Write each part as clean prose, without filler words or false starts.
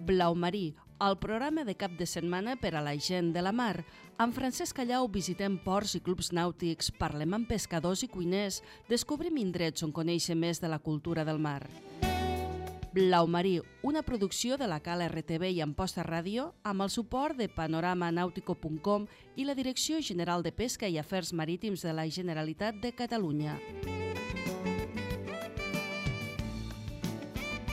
Blau Marí, el programa de cap de setmana per a la gent de la mar. Amb Francesc Callau visitem ports i clubs nàutics, parlem amb pescadors i cuiners, descobrim indrets on conèixer més de la cultura del mar. Blau Marí, una producció de la Cala RTV i Amposta Ràdio amb el suport de panoramanautico.com i la Direcció General de Pesca i Afers Marítims de la Generalitat de Catalunya.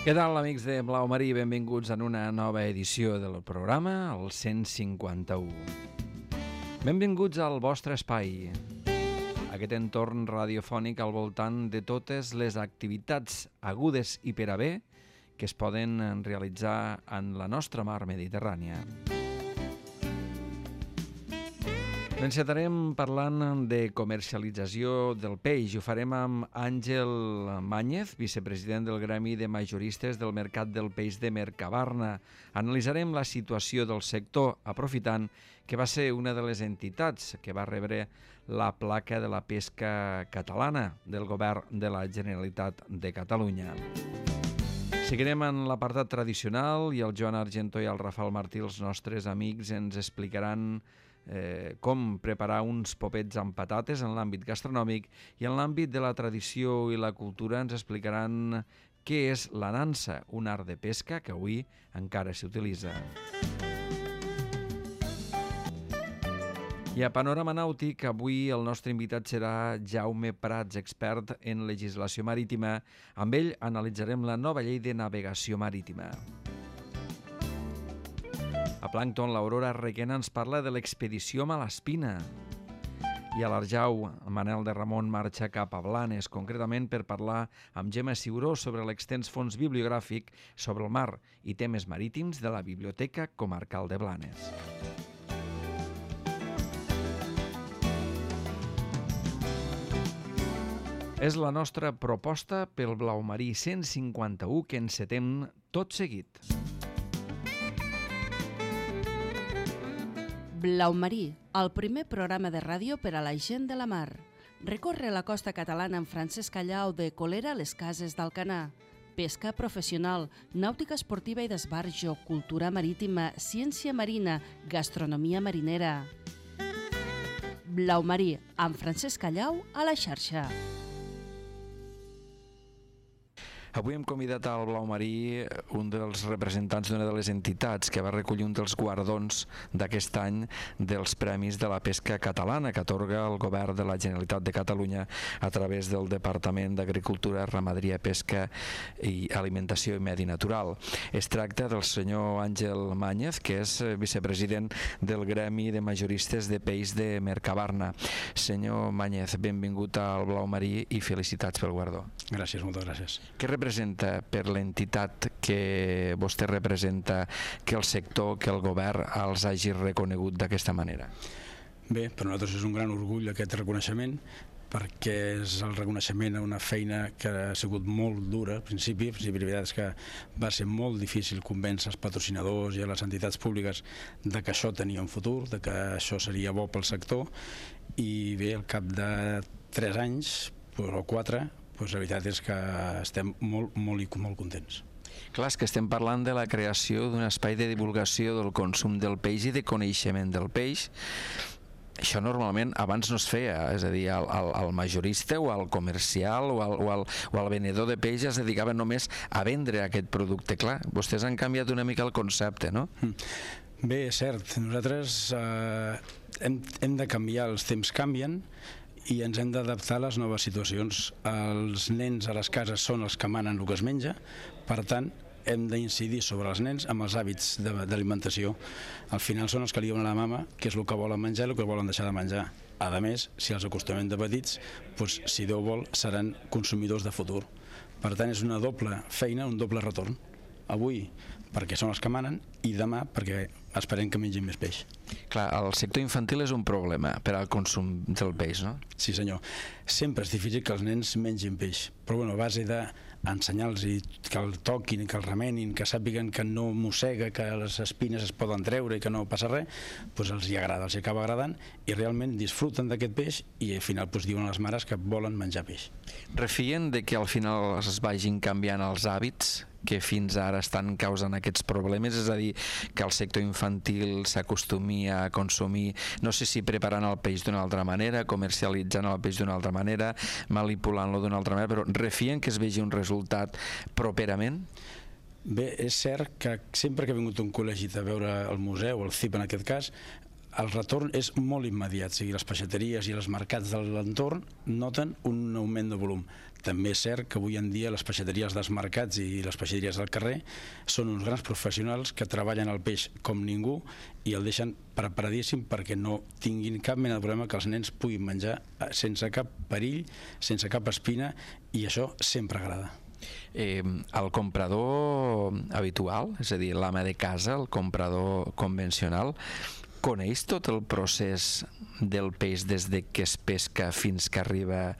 Què tal, amics de Blau Marí? Benvinguts en una nova edició del programa, el 151. Benvinguts al vostre espai, aquest entorn radiofònic al voltant de totes les activitats agudes i per a bé que es poden realitzar en la nostra mar Mediterrània. Encetarem parlant de comercialització del peix. Ho farem amb Àngel Màñez, vicepresident del Gremi de Majoristes del Mercat del Peix de Mercabarna. Analitzarem la situació del sector, aprofitant que va ser una de les entitats que va rebre la placa de la pesca catalana del Govern de la Generalitat de Catalunya. Seguirem en l'apartat tradicional i el Joan Argentó i el Rafael Martí, els nostres amics, ens explicaran com preparar uns popets amb patates en l'àmbit gastronòmic, i en l'àmbit de la tradició i la cultura ens explicaran què és la nansa, un art de pesca que avui encara s'utilitza. I a Panorama Nàutic, avui el nostre invitat serà Jaume Prats, expert en legislació marítima. Amb ell analitzarem la nova llei de navegació marítima. A Plàncton, l'Aurora Requena ens parla de l'expedició Malaspina. I a l'Arjau, Manel de Ramon marxa cap a Blanes, concretament per parlar amb Gemma Ciuró sobre l'extens fons bibliogràfic sobre el mar i temes marítims de la Biblioteca Comarcal de Blanes. És la nostra proposta pel Blau Marí 151 que encetem tot seguit. Blau Marí, el primer programa de ràdio per a la gent de la mar. Recorre la costa catalana amb Francesc Callau de Colera a les Cases d'Alcanar. Pesca professional, nàutica esportiva i d'esbarjo, cultura marítima, ciència marina, gastronomia marinera. Blau Marí, amb Francesc Callau a la xarxa. Avui hem convidat al Blau Marí un dels representants d'una de les entitats que va recollir un dels guardons d'aquest any dels Premis de la Pesca Catalana que atorga el Govern de la Generalitat de Catalunya a través del Departament d'Agricultura, Ramaderia, Pesca i Alimentació i Medi Natural. Es tracta del senyor Àngel Màñez, que és vicepresident del Gremi de Majoristes de Peix de Mercabarna. Senyor Màñez, benvingut al Blau Marí i felicitats pel guardó. Gràcies, moltes gràcies. Què representa per l'entitat que vostè representa que el sector, que el govern els hagi reconegut d'aquesta manera? Bé, per nosaltres és un gran orgull aquest reconeixement, perquè és el reconeixement a una feina que ha sigut molt dura al principi. La veritat és que va ser molt difícil convèncer els patrocinadors i a les entitats públiques de que això tenia un futur, de que això seria bo pel sector, i bé, al cap de 3 anys o 4, la veritat és que estem molt contents. Clar, és que estem parlant de la creació d'un espai de divulgació del consum del peix i de coneixement del peix. Això normalment abans no es feia, és a dir, el majorista o el comercial o el venedor de peix es dedicava només a vendre aquest producte. Clar, vostès han canviat una mica el concepte, no? Bé, és cert, nosaltres hem de canviar, els temps canvien i ens hem d'adaptar a les noves situacions. Els nens a les cases són els que manen el que es menja, per tant hem d'incidir sobre els nens amb els hàbits d'alimentació. Al final són els que li diuen a la mama què és el que volen menjar i el que volen deixar de menjar. A més, si els acostumem de petits, si Déu vol, seran consumidors de futur. Per tant, és una doble feina, un doble retorn. Avui perquè són els que manen i demà perquè esperem que mengin més peix. Clar, el sector infantil és un problema per al consum del peix, no? Sí, senyor. Sempre és difícil que els nens mengin peix, però a base d'ensenyar-los que el toquin, que el remenin, que sàpiguen que no mossega, que les espines es poden treure i que no passa res, els hi agrada, els hi acaba agradant i realment disfruten d'aquest peix i al final diuen a les mares que volen menjar peix. Refien de que al final es vagin canviant els hàbits que fins ara estan causant aquests problemes, és a dir, que el sector infantil s'acostumi a consumir, no sé si preparant el peix d'una altra manera, comercialitzant el peix d'una altra manera, manipulant-lo d'una altra manera, però refien que es vegi un resultat properament? Bé, és cert que sempre que ha vingut un col·legi a veure el museu, el CIP en aquest cas, el retorn és molt immediat, o sigui, les peixateries i els mercats de l'entorn noten un augment de volum. També és cert que avui en dia les peixateries dels mercats i les peixateries del carrer són uns grans professionals que treballen el peix com ningú i el deixen preparadíssim perquè no tinguin cap mena de problema que els nens puguin menjar sense cap perill, sense cap espina, i això sempre agrada. El comprador habitual, és a dir, l'ama de casa, el comprador convencional, coneix tot el procés del peix des de que es pesca fins que arriba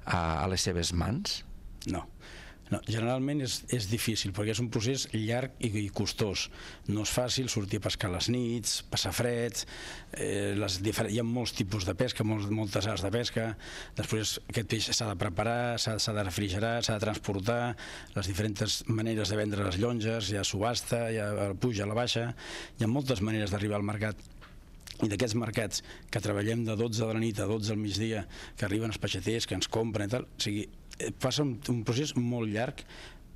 a les seves mans? No. Generalment és difícil perquè és un procés llarg i costós. No és fàcil sortir a pescar a les nits, passar fred, hi ha molts tipus de pesca, moltes arts de pesca. Després aquest peix s'ha de preparar, s'ha de refrigerar, s'ha de transportar, les diferents maneres de vendre les llonges, hi ha subhasta, hi ha puja, a la baixa, hi ha moltes maneres d'arribar al mercat. I d'aquests mercats que treballem de 12 de la nit a 12 al migdia, que arriben els peixaters, que ens compren i tal, o sigui, passa un procés molt llarg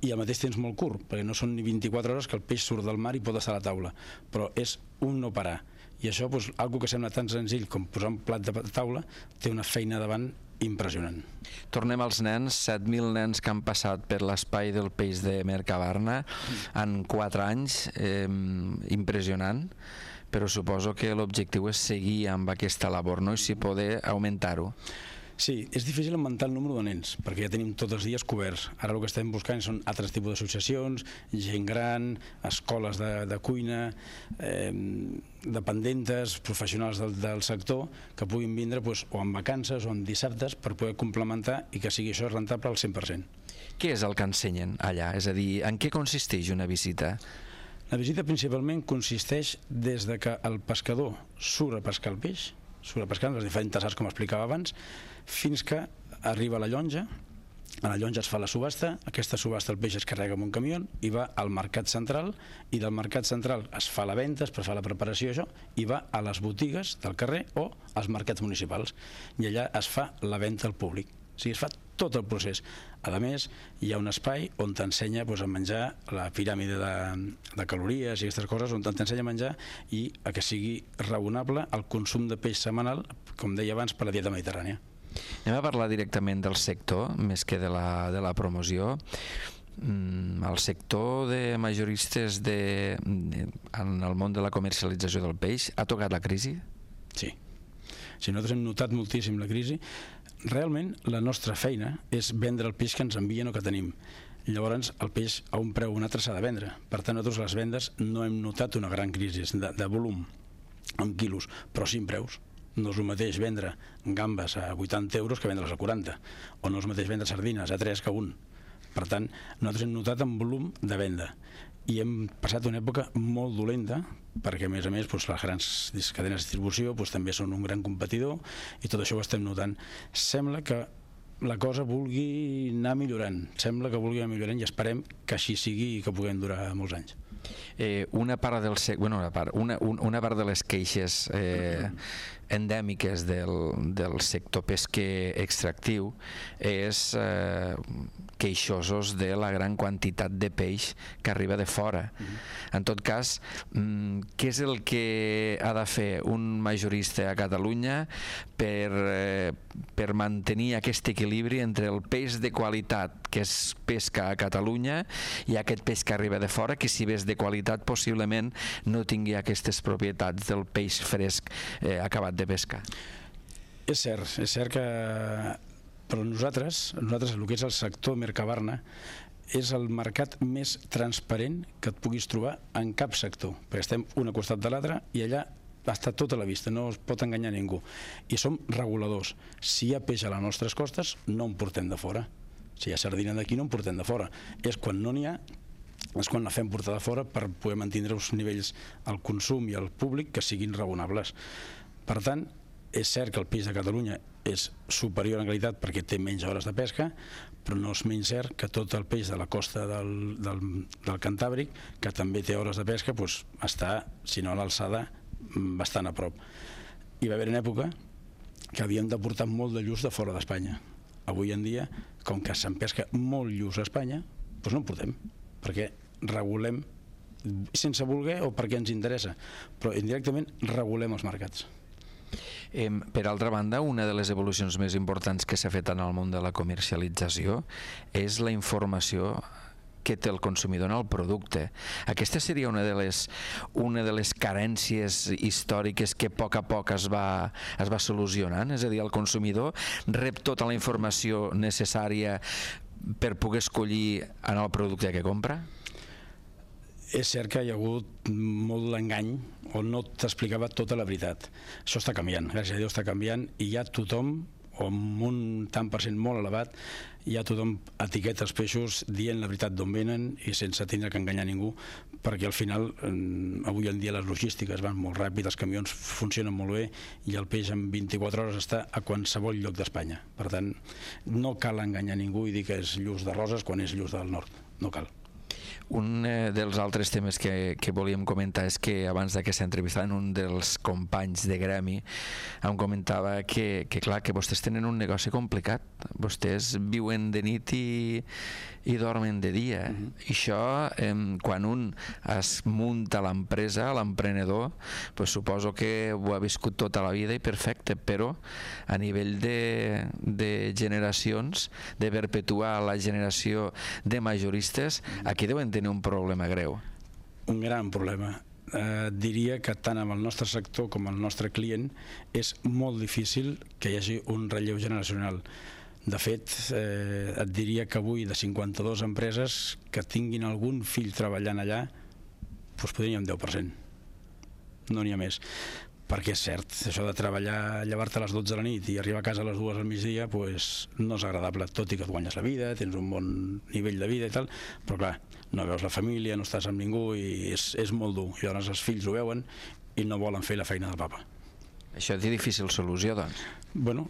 i al mateix temps molt curt, perquè no són ni 24 hores que el peix surt del mar i pot estar a la taula, però és un no parar. I això, algo que sembla tan senzill com posar un plat de taula, té una feina davant impressionant. Tornem als nens, 7.000 nens que han passat per l'espai del peix de Mercabarna en 4 anys, impressionant, però suposo que l'objectiu és seguir amb aquesta labor, no? I si poder augmentar-ho. Sí, és difícil augmentar el número de nens, perquè ja tenim tots els dies coberts. Ara el que estem buscant són altres tipus d'associacions, gent gran, escoles de cuina, dependentes, professionals del sector, que puguin vindre o en vacances o en dissabtes per poder complementar i que sigui això rentable al 100%. Què és el que ensenyen allà? És a dir, en què consisteix una visita? La visita principalment consisteix des de que el pescador surt a pescar el peix, surt a pescar en les diferents arts, com explicava abans, fins que arriba a la llonja. A la llonja es fa la subhasta, aquesta subhasta el peix es carrega amb un camió i va al mercat central, i del mercat central es fa la venda, es fa la preparació, això, i va a les botigues del carrer o als mercats municipals, i allà es fa la venda al públic. O sigui, es fa tot el procés. A més, hi ha un espai on t'ensenya a menjar la piràmide de calories i aquestes coses, on t'ensenya a menjar i a que sigui raonable el consum de peix setmanal, com deia abans, per la dieta mediterrània. Anem a parlar directament del sector, més que de la promoció. El sector de majoristes en el món de la comercialització del peix ha tocat la crisi? Sí. Nosaltres hem notat moltíssim la crisi. Realment la nostra feina és vendre el peix que ens envien o que tenim. Llavors el peix a un preu o un altre s'ha de vendre. Per tant, nosaltres les vendes no hem notat una gran crisi de volum en quilos, però sí en preus. No és el mateix vendre gambes a 80 euros que vendre-les a 40, o no és el mateix vendre sardines a 3 que a 1. Per tant, nosaltres hem notat en volum de venda i hem passat una època molt dolenta perquè a més les grans cadenes de distribució també són un gran competidor i tot això ho estem notant. Sembla que la cosa vulgui anar millorant, i esperem que així sigui i que puguem durar molts anys. Una part de les queixes endèmiques del sector pesquer extractiu és queixosos de la gran quantitat de peix que arriba de fora. En tot cas, què és el que ha de fer un majorista a Catalunya per mantenir aquest equilibri entre el peix de qualitat que es pesca a Catalunya i aquest peix que arriba de fora, que si bé és de qualitat possiblement no tingui aquestes propietats del peix fresc acabat de pescar? És cert que però nosaltres, el que és el sector Mercabarna, és el mercat més transparent que et puguis trobar en cap sector, perquè estem un al costat de l'altre i allà està tota la vista, no es pot enganyar ningú. I som reguladors. Si hi ha peix a les nostres costes, no en portem de fora. Si hi ha sardina d'aquí, no en portem de fora. És quan no n'hi ha, és quan la fem portar de fora per poder mantenir uns nivells al consum i al públic que siguin raonables. Per tant, És cert que el peix de Catalunya és superior en qualitat perquè té menys hores de pesca, però no és menys cert que tot el peix de la costa del Cantàbric, que també té hores de pesca, està, si no a l'alçada, bastant a prop. Hi va haver una època que havíem de portar molt de lluç de fora d'Espanya. Avui en dia, com que se'n pesca molt lluç a Espanya, no en portem, perquè regulem, sense voler o perquè ens interessa, però indirectament regulem els mercats. Per altra banda, una de les evolucions més importants que s'ha fet en el món de la comercialització és la informació que té el consumidor en el producte. Aquesta seria una de les carències històriques que a poc es va solucionant, és a dir, el consumidor rep tota la informació necessària per poder escollir en el producte que compra? És cert que hi ha hagut molt d'engany on no t'explicava tota la veritat. Això està canviant, gràcies a Déu està canviant, i ja tothom, o amb un tant per cent molt elevat, ja tothom etiqueta els peixos dient la veritat d'on venen i sense tindre que enganyar ningú, perquè al final avui en dia les logístiques van molt ràpid, els camions funcionen molt bé i el peix en 24 hores està a qualsevol lloc d'Espanya. Per tant, no cal enganyar ningú i dir que és lluç de Roses quan és lluç del nord, no cal. Un dels altres temes que volíem comentar és que abans que s'entrevistava un dels companys de gremi em comentava que clar, que vostès tenen un negoci complicat, vostès viuen de nit i dormen de dia. I això, quan un es munta l'empresa, l'emprenedor, suposo que ho ha viscut tota la vida i perfecte, però a nivell de generacions, de perpetuar la generació de majoristes, aquí deuen tenir un problema greu. Un gran problema. Diria que tant amb el nostre sector com el nostre client és molt difícil que hi hagi un relleu generacional. De fet, et diria que avui de 52 empreses que tinguin algun fill treballant allà, podria un 10%. No n'hi ha més. Perquè és cert, això de treballar, llevar-te a les 12 de la nit i arribar a casa a les 2 al migdia no és agradable, tot i que et guanyes la vida, tens un bon nivell de vida i tal, però clar, no veus la família, no estàs amb ningú i és molt dur. I llavors els fills ho veuen i no volen fer la feina del papa. Això té difícil solució, doncs? Bueno,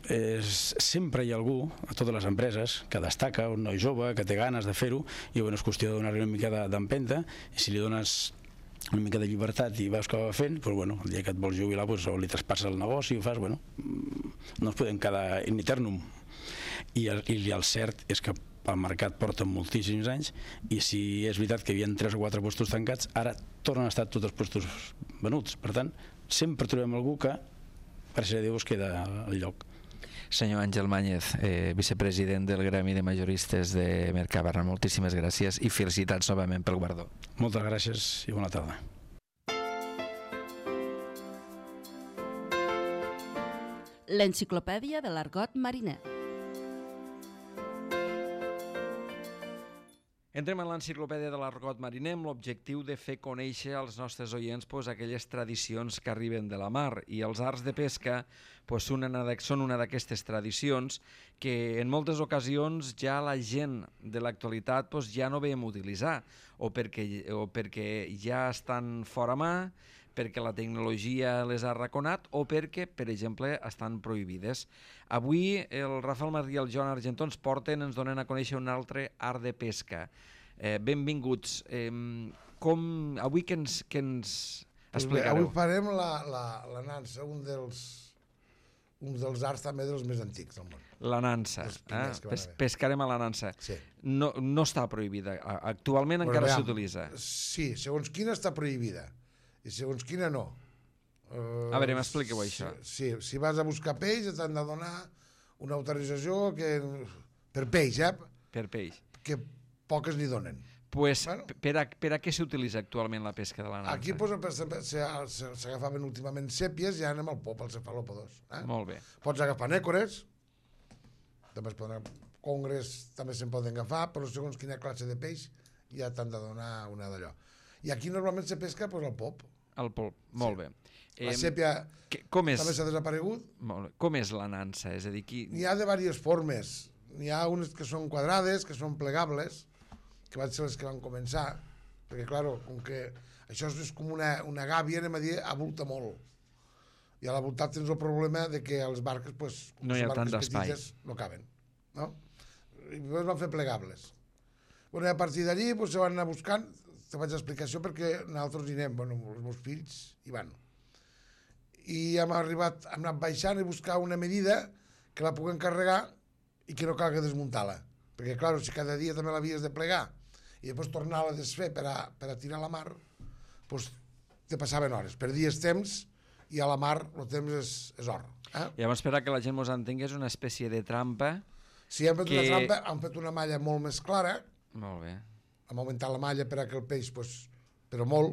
sempre hi ha algú a totes les empreses que destaca, un noi jove que té ganes de fer-ho i és qüestió de donar-li una mica d'empenta, i si li dones una mica de llibertat i veus que va fent, el dia que et vols jubilar o li traspasses el negoci i ho fas, no ens podem quedar in eternum. I el cert és que el mercat porta moltíssims anys i si és veritat que hi havia 3 o 4 puestos tancats, ara tornen a estar tots els puestos venuts. Per tant, sempre trobem algú que, gràcies a Déu, es queda al lloc. Senyor Àngel Màñez, vicepresident del Gremi de Majoristes de Mercabarna, moltíssimes gràcies i felicitats novament pel guardó. Moltes gràcies i bona tarda. L'enciclopèdia de l'argot mariner. Entrem en l'enciclopèdia de l'argot mariner amb l'objectiu de fer conèixer als nostres oients aquelles tradicions que arriben de la mar, i els arts de pesca són una d'aquestes tradicions que en moltes ocasions ja la gent de l'actualitat ja no veiem utilitzar, o perquè ja estan fora mà, perquè la tecnologia les ha arraconat o perquè, per exemple, estan prohibides. Avui el Rafael Martí i el Joan Argentó ens donen a conèixer un altre art de pesca. Benvinguts. Avui què ens explicareu? Avui farem la nansa, un dels arts també dels més antics del món. La nansa. Pescarem a la nansa. Sí. No està prohibida. Actualment encara s'utilitza. Sí, segons quina està prohibida i segons quina no. A veure, m'expliqueu això. Sí, si vas a buscar peix t'han de donar una autorització per peix, Per peix. Que poques n'hi donen. Per a què s'utilitza actualment la pesca de la nansa? Aquí s'agafaven últimament sèpies i anem al pop, al cefalòpodos. Molt bé. Pots agafar nècores, també congres també se'n poden agafar, però segons quina classe de peix ja t'han de donar una d'allò. I aquí normalment se pesca al pop. Al pop, molt bé. La sèpia també s'ha desaparegut. Com és la nansa? És a dir, n'hi ha de diverses formes. N'hi ha unes que són quadrades, que són plegables, que van ser les que van començar, perquè, clar, com que això és com una gàbia, anem a dir, avulta molt. I a la voltant tens el problema de que els barques, pues, no hi ha tant d'espai. No caben. No? I llavors van fer plegables. Bueno, a partir d'allí pues, se van anar buscant, te faig l'explicació perquè nosaltres hi anem, bueno, els meus fills hi van. I hem anat baixant i buscar una medida que la puguem carregar i que no calgui desmuntar-la. Perquè, clar, si cada dia també l'havies de plegar i després tornar-la a desfer per a tirar a la mar, doncs te passaven hores. Perdies temps i a la mar el temps és or. Llavors, per a que la gent mos entengui, és una espècie de trampa. Si hem fet una trampa, hem fet una malla molt més clara. Molt bé. Hem augmentat la malla per a que el peix, però molt.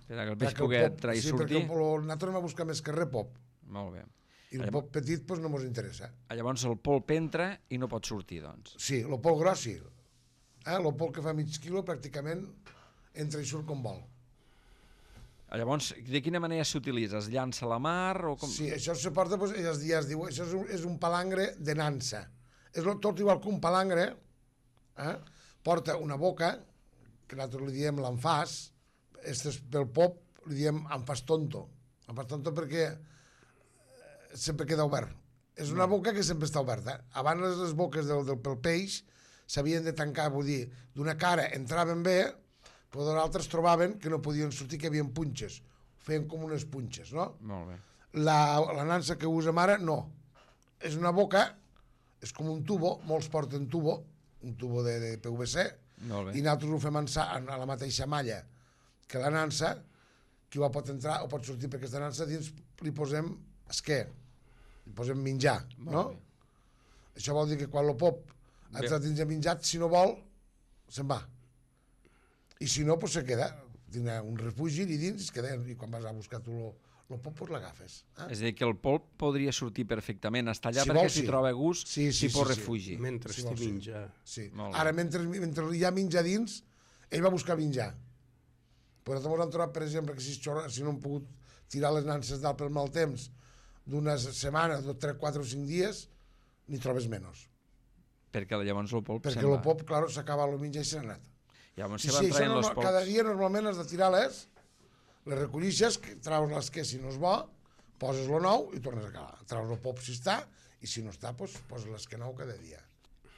Per a que el peix pugui entrar i sortir. Sí, perquè nosaltres hem a buscar més que res pop. Molt bé. I el pop petit no ens interessa. Llavors el polp entra i no pot sortir, doncs. Sí, el polp gros sí. El polp que fa mig quilo pràcticament entra i surt com vol. Llavors, de quina manera s'utilitza? Es llança a la mar? O com... Sí, això se porta, es diu, això és un palangre de nansa. És tot igual que un palangre, porta una boca, que nosaltres li diem l'enfàs, pel pop li diem enfàs tonto. Enfàs tonto perquè sempre queda obert. És una boca que sempre està oberta. Abans les boques pel peix s'havien de tancar, vull dir, d'una cara entraven bé, però de l'altra es trobaven que no podien sortir, que hi havia punxes. Feien com unes punxes, no? Molt bé. La nansa que usem ara, no. És una boca, és com un tubo, molts porten tubo, un tubo de PVC, i nosaltres ho fem a la mateixa malla que la nansa, qui pot entrar o pot sortir per aquesta nansa, dins li posem esquer, li posem menjar, no? Això vol dir que quan el pop ha entrat dins de menjat, si no vol, se'n va. I si no, doncs se queda, tindrà un refugi i dins es queda, i quan vas a buscar tu el pop, doncs l'agafes. És a dir, que el polp podria sortir perfectament, està allà perquè si troba gust, si pot refugi. Mentre estigui menjar. Sí. Ara, mentre hi ha menjar dins, ell va buscar menjar. Però nosaltres hem trobat, per exemple, que si no hem pogut tirar les nanses dalt pel mal temps d'una setmana, 3, 4 o 5 dies, n'hi trobes menys. Perquè llavors el polp perquè el pop, clar, s'acaba el menjar i se n'ha anat. Llavors se van traient els polps. Cada dia normalment has de tirar-les, les recollixes, traus les que si no és bo, poses lo nou i tornes a calar. Traus el pop si està, i si no està, doncs poses les que nou cada dia.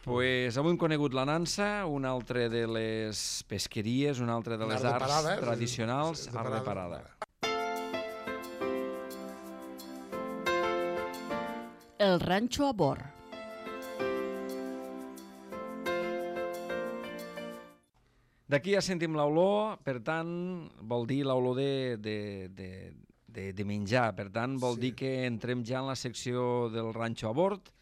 Pues avui hem conegut la nansa, una altra de les pesqueries, una altra de les arts tradicionals, art de parada. El ranxo a bord. D'aquí ja sentim l'olor, per tant, vol dir l'olor de menjar. Per tant, vol dir que entrem ja en la secció del ranxo a bord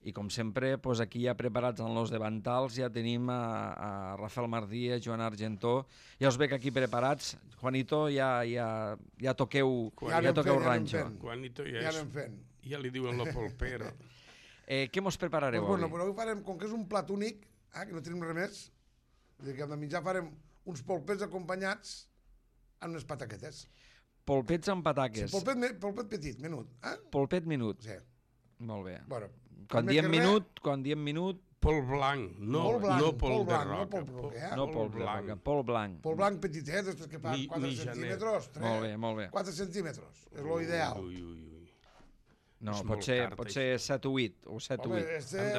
i, com sempre, aquí ja preparats en los davantals ja tenim a Rafael Mardí, a Joan Argentó. Ja us veig aquí preparats. Juanito, ja toqueu ranxo. Juanito ja anem fent. Ja li diuen la polpera. Què mos preparareu avui? Però avui farem, com que és un plat únic, que no tenim res més, que hem de menjar, farem uns polpets acompanyats amb unes pataquetes. Polpets amb pataques? Sí, polpet petit, menut. Polpet menut? Sí. Molt bé. Bueno, quan diem minut... Polp blanc, no polp de roca. No polp blanc, polp blanc. Polp blanc petitet, després que fa 4 centímetres. Molt bé. 4 centímetres, és l'ideal. No, pot ser 7 o 8, o 7 o 8. Home,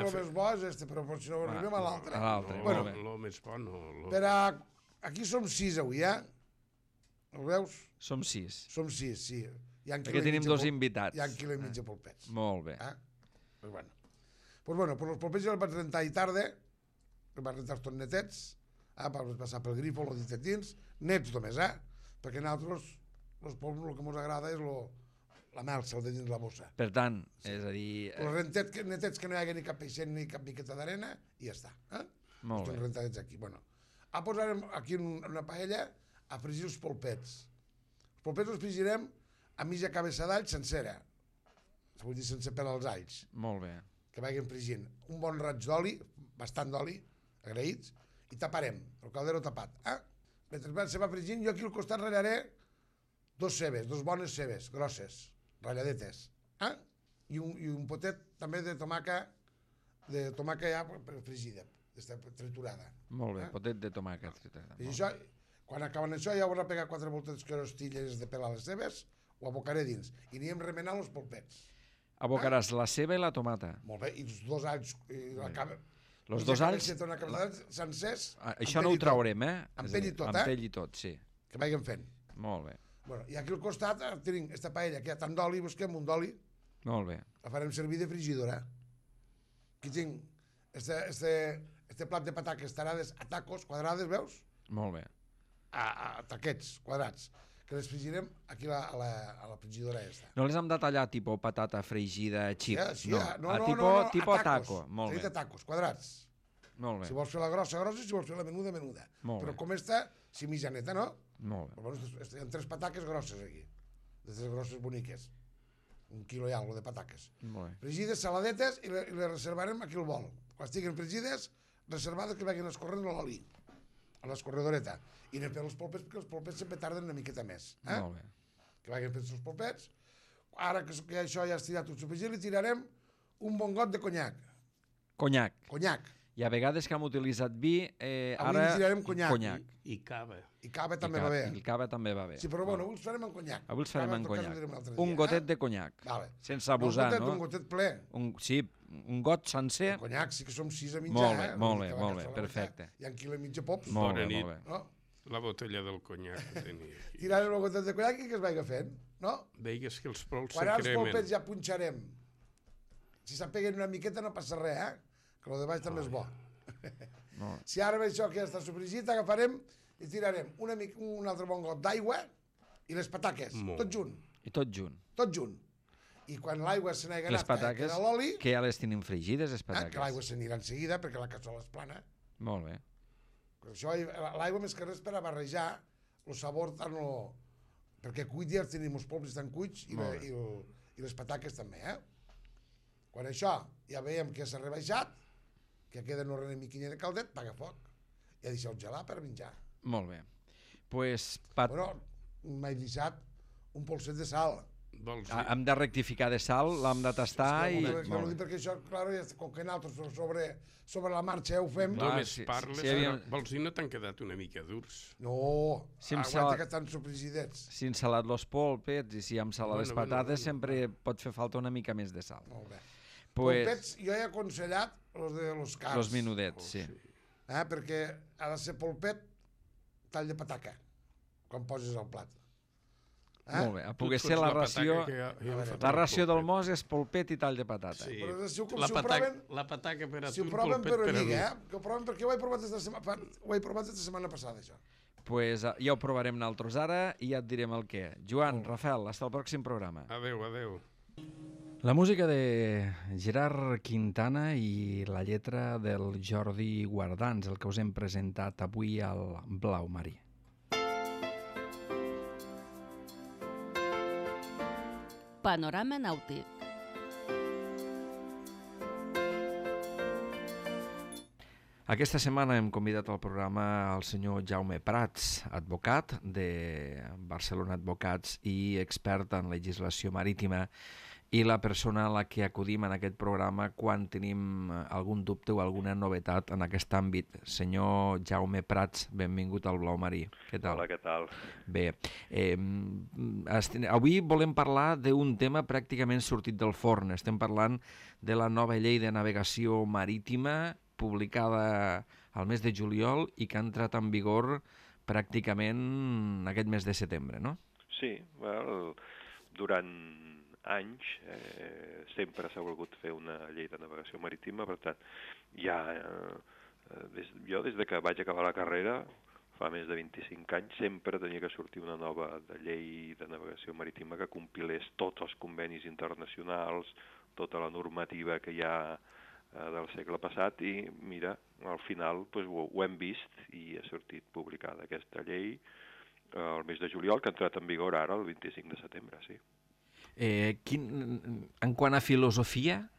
el més bo és però si no arribem a l'altre. A l'altre, molt bé. El més bo no. Aquí som 6 avui, Ho veus? Som 6. Som 6, sí. Perquè tenim 2 invitats. Hi ha 1 quilo i mig de polpets. Molt bé. Pues bueno, els polpets els vaig rentar i tarda, els vaig rentar tots netets, vaig passar pel grifo, els ditet dins, nets només, perquè nosaltres, els polps, el que ens agrada és la melsa, el de dins la bossa. Per tant, és a dir... Els netets que no hi hagi ni cap peixet ni cap miqueta d'arena, i ja està. Molt bé. Els rentadets aquí. Bueno, posarem aquí en una paella a fregir els polpets. Els polpets els fregirem a mitja cabeça d'all sencera. Vull dir, sense pelar els alls. Molt bé. Que vagin fregint. Un bon raig d'oli, bastant d'oli, agraïts, i taparem, el caldero tapat. Mentre se va fregint, jo aquí al costat ratllaré 2 cebes, 2 bones cebes, grosses, ratlladetes. I un potet també de tomàca ja fregida, triturada. Molt bé, potet de tomàquet triturada. I això, quan acaben això, ja haurà pegat 4 voltes que rostilles de pelar les cebes, ho abocaré dins. I anirem remenant els polpets. Abocaràs la ceba i la tomata. Molt bé, i els 2 alls... Els 2 alls... sencers... Això no ho traurem, eh? Amb pell i tot, Amb pell i tot, sí. Que vagin fent. Molt bé. Bueno, i aquí al costat tenim aquesta paella, que hi ha tant d'oli, busquem un d'oli. Molt bé. La farem servir de frigidora. Aquí tinc este plat de pataques tarades a tacos, quadrades, veus? Molt bé. A taquets, quadrats, que les frigirem aquí a la frigidora aquesta. No les hem de tallar tipus patata fregida, xip? Sí, no, tipus a taco. Molt bé. A tacos, quadrats. Molt bé. Si vols fer la grossa, grossa, si vols fer la menuda, menuda. Molt Però bé. com està, si mitjaneta, no? Molt bé. Però bueno, hi ha 3 pataques grosses aquí. D'aquestes grosses boniques. 1 quilo i algo de pataques. Molt bé. Fregides, saladetes, i les reservarem aquí al bol. Quan estiguin fregides, reservades que vagin escorrent l'oli, a l'escorredoreta. I anem fent els polpets, perquè els polpets sempre tarden una miqueta més. Molt bé. Que vagin fent els polpets. Ara que això ja ha estirat tot sofregit, li tirarem un bon got de conyac. Conyac. Conyac. I a vegades que hem utilitzat vi, Avui ara... li tirarem conyac. I cava. I cava també va bé. I cava també va bé. Sí, però bueno, avui els farem amb conyac. Avui els farem amb Cava, conyac. Un gotet de conyac. Vale. Sense abusar, no? Un gotet ple. Sí, un got sencer. El conyac sí que som 6 a mitjà. Molt bé, perfecte. Hi ha un quilo i mig de pops. Molt bé, molt bé. No? La botella del conyac que tenia aquí. Tirarem el gotet de conyac i que es vagi fent, no? Deies que els pols se Quan els cremen. polpets ja punxarem. Si s'apeguen una miqueta no passa res, que el de baix també és bo. Si ara ve això que ja està sofregit, agafarem i tirarem un altre bon got d'aigua i les pataques, tot junt. I tot junt. Tot junt. I quan l'aigua se n'hagi Les anat, pataques, queda l'oli, que ja les tenim fregides, les pataques. que l'aigua s'anirà en seguida perquè la cassola és plana. Molt bé. Això, l'aigua més que res per a barrejar el sabor tant perquè cuit ja tenim els polps estan cuits i les pataques també, Quan això ja veiem que s'ha rebaixat, que queda una miquinha de caldet, paga foc. I ja deixeu gelar per menjar. Molt bé. Pues, Bueno, m'he deixat un polset de sal. Hem de rectificar de sal, l'hem de tastar i... No, perquè això, clar, com que nosaltres sobre la marxa ho fem... Només parles, vols dir no t'han quedat una mica durs? No, aguanta que estan sofregidets. Si hem salat los polpets i si hem salat les patates, sempre pot fer falta una mica més de sal. Molt bé. Polpets, jo he aconsellat els cars. Els menudets, sí. Perquè ha de ser polpet tall de pataca, quan poses el plat. Molt bé, a poder ser la ració... La ració del mos és polpet i tall de patata. Sí, la pataca per a tu, si ho proven per amiga, que ho proven perquè ho he provat aquesta setmana passada, això. Pues ja ho provarem nosaltres ara i ja et direm el què. Joan, Rafael, fins al pròxim programa. Adéu, adéu. La música de Gerard Quintana i la lletra del Jordi Guardans, el que us hem presentat avui al Blau Marí. Panorama nàutic. Aquesta setmana hem convidat al programa el senyor Jaume Prats, advocat de Barcelona Advocats i expert en legislació marítima, i la persona a la que acudim en aquest programa quan tenim algun dubte o alguna novetat en aquest àmbit. Senyor Jaume Prats, benvingut al Blau Marí. Què tal? Hola, què tal? Bé, avui volem parlar d'un tema pràcticament sortit del forn. Estem parlant de la nova llei de navegació marítima publicada al mes de juliol i que ha entrat en vigor pràcticament aquest mes de setembre, no? Sí, durant anys sempre s'ha volgut fer una llei de navegació marítima, per tant, jo des de que vaig acabar la carrera, fa més de 25 anys, sempre tenia que sortir una nova llei de navegació marítima que compilés tots els convenis internacionals, tota la normativa que hi ha del segle passat, i mira, al final ho hem vist i ha sortit publicada aquesta llei el mes de juliol, que ha entrat en vigor ara el 25 de setembre, sí. En quant a filosofia,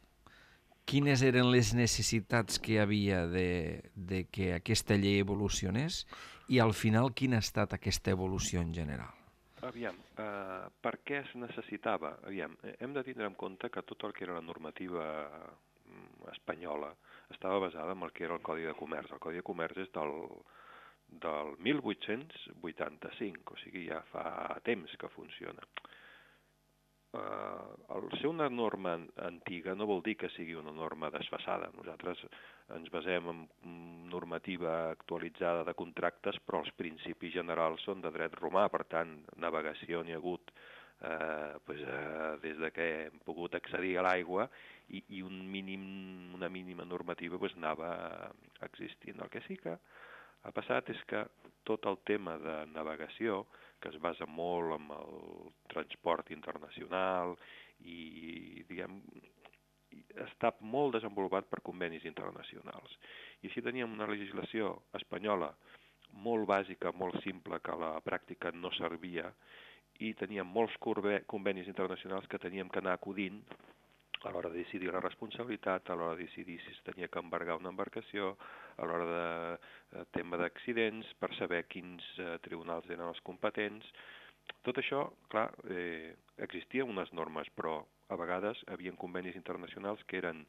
quines eren les necessitats que hi havia de que aquesta llei evolucionés i al final quina ha estat aquesta evolució en general? Aviam, per què es necessitava? Aviam, hem de tindre en compte que tot el que era la normativa espanyola estava basada en el que era el Codi de Comerç. El Codi de Comerç és del 1885, o sigui, ja fa temps que funciona. el ser una norma antiga no vol dir que sigui una norma desfasada. Nosaltres ens basem en normativa actualitzada de contractes, però els principis generals són de dret romà, per tant, navegació n'hi ha hagut des de que hem pogut accedir a l'aigua i una mínima normativa anava existint. El que sí que ha passat és que tot el tema de navegació, que es basa molt en el transport internacional i, diguem, està molt desenvolupat per convenis internacionals. I així teníem una legislació espanyola molt bàsica, molt simple, que a la pràctica no servia, i teníem molts convenis internacionals que teníem que anar acudint a l'hora de decidir la responsabilitat, a l'hora de decidir si es tenia que embargar una embarcació, a l'hora de tema d'accidents, per saber quins tribunals eren els competents. Tot això, clar, existien unes normes, però a vegades hi havia convenis internacionals que eren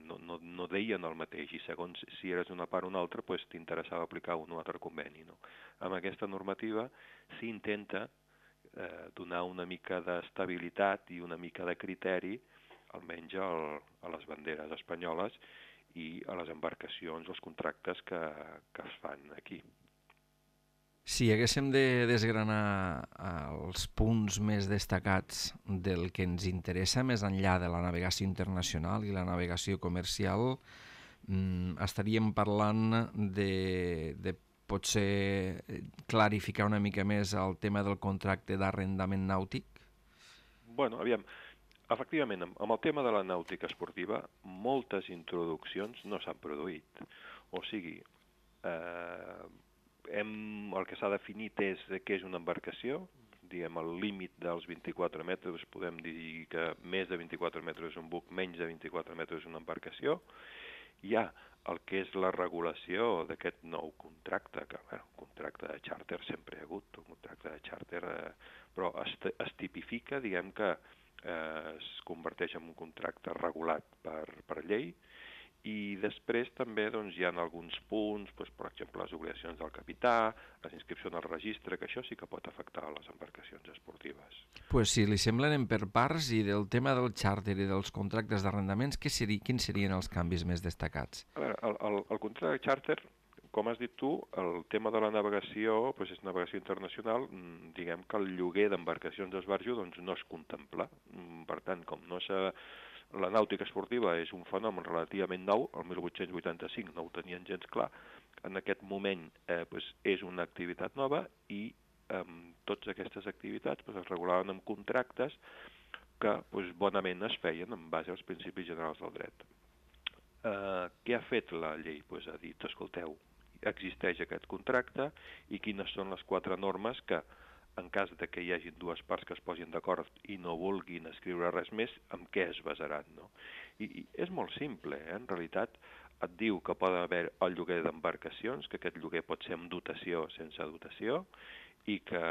no deien el mateix, i segons si eres una part o una altra, t'interessava aplicar un o altre conveni. Amb aquesta normativa s'intenta donar una mica d'estabilitat i una mica de criteri, almenys a les banderes espanyoles i a les embarcacions, els contractes que es fan aquí. Si haguéssim de desgranar els punts més destacats del que ens interessa més enllà de la navegació internacional i la navegació comercial, estaríem parlant de potser clarificar una mica més el tema del contracte d'arrendament nàutic? Bueno, aviam, efectivament, amb el tema de la nàutica esportiva, moltes introduccions no s'han produït. O sigui, el que s'ha definit és què és una embarcació, diguem, el límit dels 24 metres, podem dir que més de 24 metres és un buc, menys de 24 metres és una embarcació. Hi ha el que és la regulació d'aquest nou contracte, que, contracte de xàrter sempre hi ha hagut, un contracte de xàrter, però es tipifica, diguem que es converteix en un contracte regulat per llei, i després també hi ha alguns punts, per exemple, les obligacions del capità, les inscripcions al registre, que això sí que pot afectar les embarcacions esportives. Si li sembla, anem per parts, i del tema del xàrter i dels contractes d'arrendaments, quins serien els canvis més destacats? A veure, el contracte de xàrter, com has dit tu, el tema de la navegació és navegació internacional, diguem que el lloguer d'embarcacions d'esbarjo no es contempla. Per tant, com no s'ha... La nàutica esportiva és un fenomen relativament nou, el 1885 no ho tenien gens clar, en aquest moment és una activitat nova i totes aquestes activitats es regulaven amb contractes que bonament es feien en base als principis generals del dret. Què ha fet la llei? Ha dit, escolteu, existeix aquest contracte i quines són les 4 normes que, en cas de que hi hagi dues parts que es posin d'acord i no vulguin escriure res més, amb què es basaran, no? I és molt simple, en realitat et diu que poden haver el lloguer d'embarcacions, que aquest lloguer pot ser amb dotació o sense dotació, i que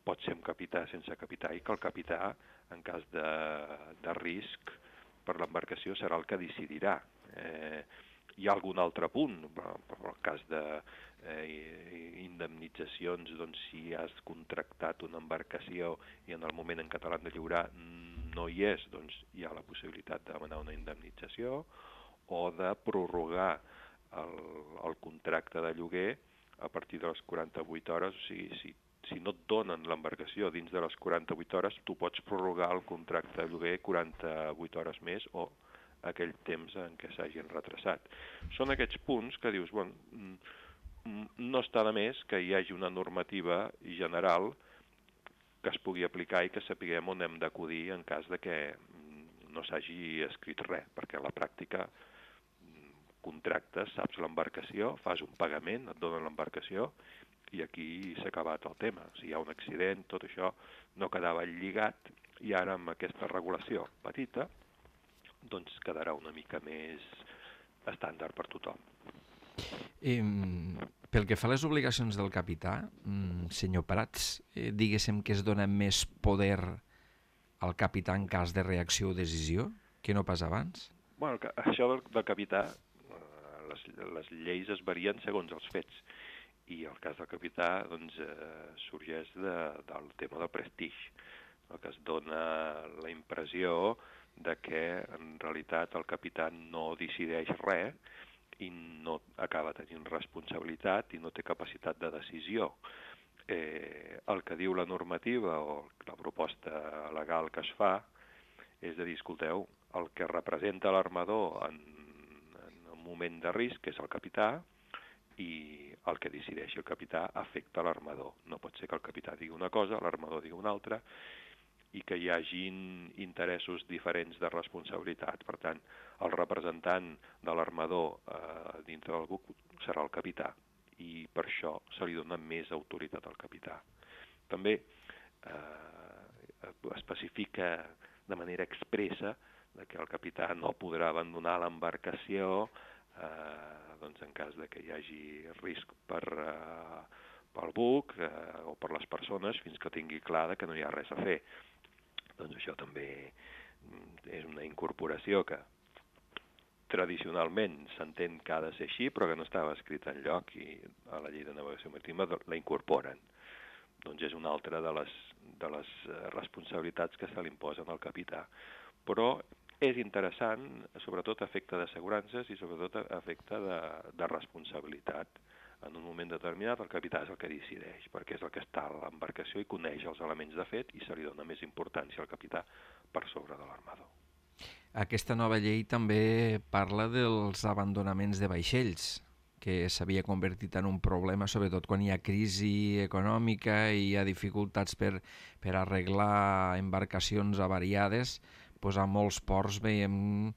pot ser amb capità o sense capità, i que el capità, en cas de risc per l'embarcació, serà el que decidirà. Hi ha algun altre punt, per el cas de indemnitzacions, si has contractat una embarcació i en el moment en què te l'han de lliurar no hi és, hi ha la possibilitat de demanar una indemnització o de prorrogar el contracte de lloguer a partir de les 48 hores, o sigui, si no et donen l'embarcació dins de les 48 hores, tu pots prorrogar el contracte de lloguer 48 hores més o aquell temps en què s'hagin retrasat. Són aquests punts que dius, no està de més que hi hagi una normativa general que es pugui aplicar i que sapiguem on hem d'acudir en cas de que no s'hagi escrit res, perquè a la pràctica contractes, saps l'embarcació, fas un pagament, et donen l'embarcació i aquí s'ha acabat el tema. Si hi ha un accident, tot això no quedava lligat i ara amb aquesta regulació petita quedarà una mica més estàndard per tothom. Pel que fa a les obligacions del capità, senyor Prats, diguéssim que es dona més poder al capità en cas de reacció o decisió que no pas abans? Bueno, això del capità, les lleis es varien segons els fets, i el cas del capità sorgeix del tema del prestigi. el que es dona la impressió de que en realitat el capità no decideix res i no acaba tenint responsabilitat i no té capacitat de decisió. El que diu la normativa o la proposta legal que es fa és de dir, escolteu, el que representa l'armador en un moment de risc és el capità i el que decideixi el capità afecta l'armador. No pot ser que el capità digui una cosa, l'armador digui una altra, i que hi hagin interessos diferents de responsabilitat. Per tant, el representant de l'armador dintre del buc serà el capità, i per això se li dona més autoritat al capità. També especifica de manera expressa que el capità no podrà abandonar l'embarcació doncs en cas de que hi hagi risc pel buc o per les persones fins que tingui clar que no hi ha res a fer. Doncs això també és una incorporació que tradicionalment s'entén que ha de ser així, però que no estava escrita enlloc i a la llei de navegació marítima la incorporen. Doncs és una altra de les responsabilitats que se li imposen al capità. Però és interessant, sobretot a efecte d'assegurances i sobretot a efecte de responsabilitat. En un moment determinat el capità és el que decideix, perquè és el que està a l'embarcació i coneix els elements de fet i se li dona més importància al capità per sobre de l'armador. Aquesta nova llei també parla dels abandonaments de vaixells, que s'havia convertit en un problema, sobretot quan hi ha crisi econòmica i hi ha dificultats per arreglar embarcacions avariades. Doncs a molts ports veiem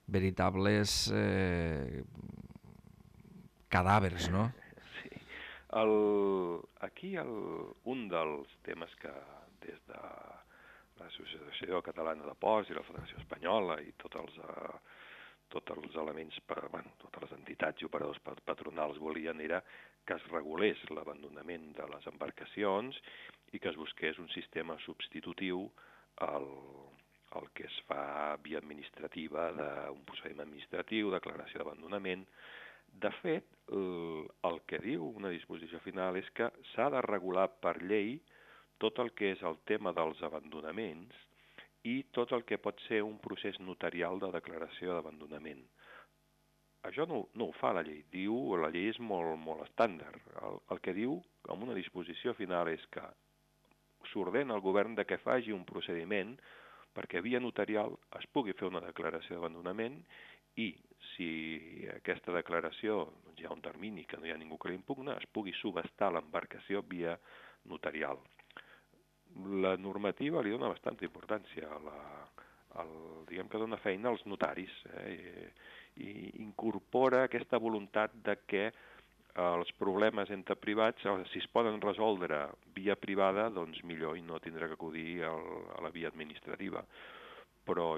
veritables cadàvers, no? Sí. Aquí un dels temes que des de l'Associació Catalana de Ports i la Federació Espanyola i tots els elements, totes les entitats i operadors patronals volien era que es regulés l'abandonament de les embarcacions i que es busqués un sistema substitutiu el que es fa via administrativa, d'un procediment administratiu, declaració d'abandonament. De fet, el que diu una disposició final és que s'ha de regular per llei tot el que és el tema dels abandonaments i tot el que pot ser un procés notarial de declaració d'abandonament. Això no ho fa la llei. La llei és molt estàndard. El que diu en una disposició final és que s'ordena al govern de que faci un procediment perquè via notarial es pugui fer una declaració d'abandonament i si aquesta declaració hi ha un termini que no hi ha ningú que l'impugna, es pugui subhastar l'embarcació via notarial. La normativa li dona bastanta importància, diguem que dona feina als notaris i incorpora aquesta voluntat de que els problemes entre privats, si es poden resoldre via privada, doncs millor i no tindrà que acudir a la via administrativa. Però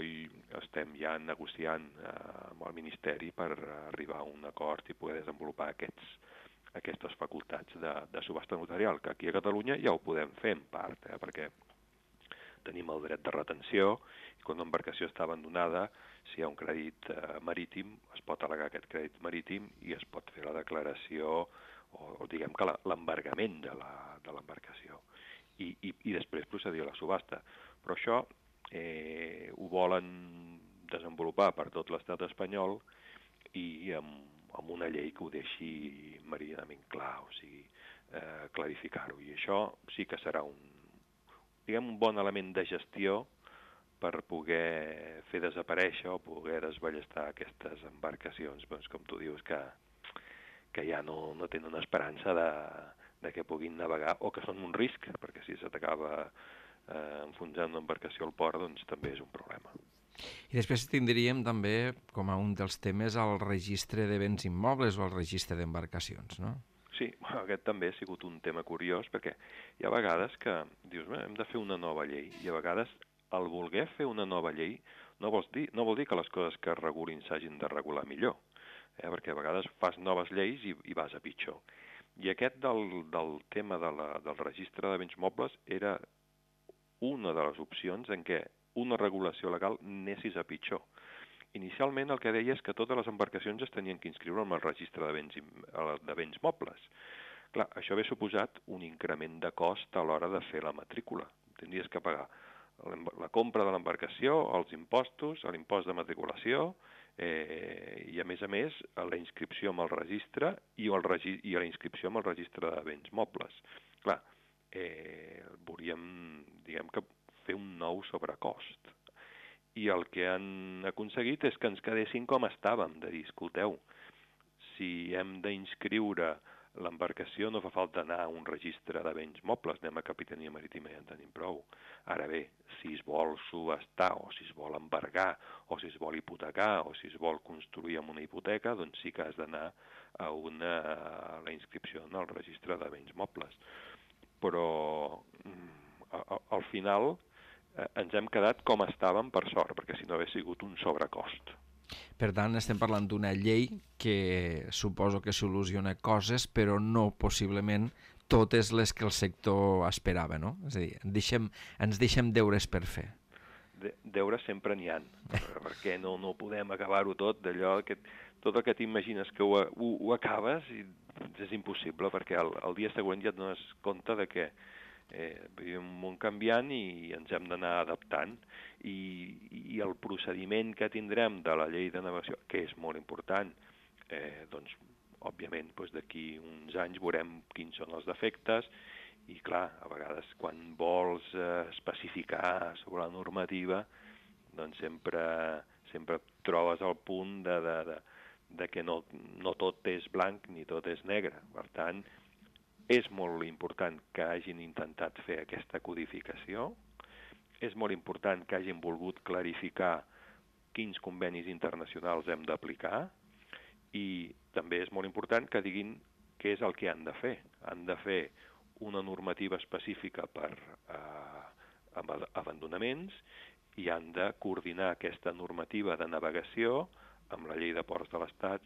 estem ja negociant amb el Ministeri per arribar a un acord i poder desenvolupar aquestes facultats de subhasta notarial, que aquí a Catalunya ja ho podem fer en part, perquè tenim el dret de retenció i quan una embarcació està abandonada, si hi ha un crèdit marítim, es pot al·legar aquest crèdit marítim i es pot fer la declaració o diguem que l'embargament de l'embarcació i després procedir a la subhasta. Però això ho volen desenvolupar per tot l'estat espanyol i amb una llei que ho deixi meridianament clar, o sigui, clarificar-ho. I això sí que serà un bon element de gestió per poder fer desaparèixer o poder desballestar aquestes embarcacions, doncs, com tu dius, que ja no tenen esperança de que puguin navegar o que són un risc, perquè si se t'acaba enfonsant una embarcació al port, doncs també és un problema. I després tindríem també, com a un dels temes, el registre de béns immobles o el registre d'embarcacions, no? Sí, aquest també ha sigut un tema curiós, perquè hi ha vegades que dius, hem de fer una nova llei, i a vegades el voler fer una nova llei no vol dir que les coses que es regulin s'hagin de regular millor, perquè a vegades fas noves lleis i vas a pitjor. I aquest del tema del registre de béns mobles era una de les opcions en què una regulació legal anessis a pitjor. Inicialment el que deia és que totes les embarcacions es tenien que inscriure en el registre de béns mobles. Clar, això hauria suposat un increment de cost a l'hora de fer la matrícula. Tindries que pagar la compra de l'embarcació, els impostos, l'impost de matriculació, i a més la inscripció amb el registre i la inscripció amb el registre de béns mobles. Clar, volíem, diguem que, fer un nou sobrecost. I el que han aconseguit és que ens quedéssim com estàvem, de dir, escolteu, si hem d'inscriure l'embarcació no fa falta anar a un registre de béns mobles, anem a Capitania Marítima i ja en tenim prou. Ara bé, si es vol subhastar, o si es vol embargar, o si es vol hipotecar, o si es vol construir amb una hipoteca, doncs sí que has d'anar a la inscripció en el registre de béns mobles. Però al final ens hem quedat com estàvem per sort, perquè si no hagués sigut un sobrecost. Per tant, estem parlant d'una llei que suposo que soluciona coses, però no possiblement totes les que el sector esperava, no? És a dir, ens deixem deures per fer. Deures sempre n'hi ha, perquè no podem acabar-ho tot, d'allò que tot el que t'imagines que ho acabes i és impossible, perquè el dia següent ja et dones compte de que vivim un món canviant i ens hem d'anar adaptant, i el procediment que tindrem de la llei de navegació, que és molt important, doncs, òbviament, d'aquí uns anys veurem quins són els defectes, i clar, a vegades quan vols especificar sobre la normativa, doncs sempre trobes el punt de que no tot és blanc ni tot és negre. Per tant, és molt important que hagin intentat fer aquesta codificació, és molt important que hagin volgut clarificar quins convenis internacionals hem d'aplicar, i també és molt important que diguin què és el que han de fer. Han de fer una normativa específica per abandonaments i han de coordinar aquesta normativa de navegació amb la llei de ports de l'Estat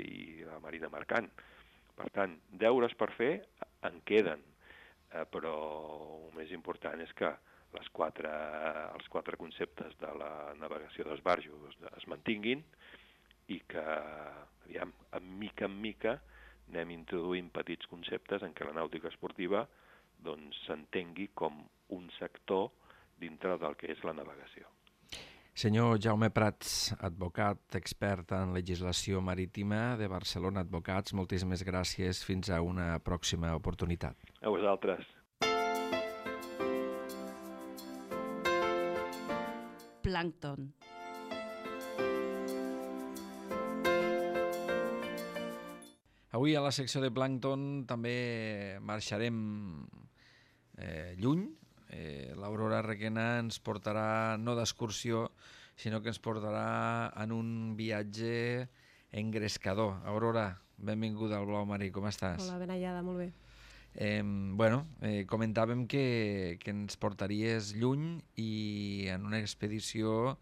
i la Marina Mercant. Per tant, deures per fer en queden, però el més important és que els quatre conceptes de la navegació d'esbarjo es mantinguin i que, aviam, en mica anem introduint petits conceptes en què la nàutica esportiva s'entengui com un sector dintre del que és la navegació. Senyor Jaume Prats, advocat, expert en legislació marítima de Barcelona Advocats, moltíssimes gràcies. Fins a una pròxima oportunitat. A vosaltres. Plàncton. Avui a la secció de Plàncton també marxarem lluny. L'Aurora Requena ens portarà no d'excursió, sinó que ens portarà en un viatge engrescador. Aurora, benvinguda al Blau Marí, com estàs? Hola, ben hallada, molt bé. Comentàvem que ens portaries lluny i en una expedició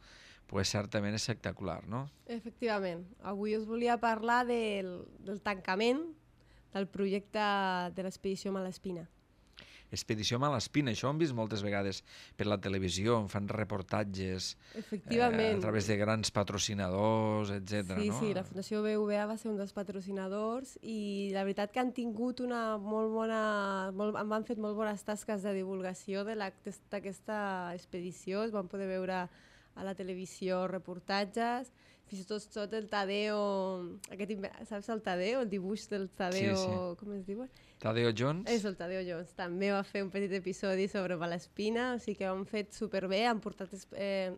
certament espectacular, no? Efectivament. Avui us volia parlar del tancament del projecte de l'expedició Malespina. Expedició Malespina, això ho hem vist moltes vegades per la televisió, en fan reportatges Efectivament. A través de grans patrocinadors, etc. Sí, no? sí, la Fundació BBVA va ser un dels patrocinadors i la veritat que han tingut una molt bona... han fet molt bones tasques de divulgació d'aquesta expedició, es van poder veure a la televisió reportatges, fins i tot el Tadeo, saps el Tadeo, el dibuix del Tadeo, sí. Com es diu? Tadeo Jones? És el Tadeo Jones, també va fer un petit episodi sobre Malespina, o sigui que ho han fet superbé, han portat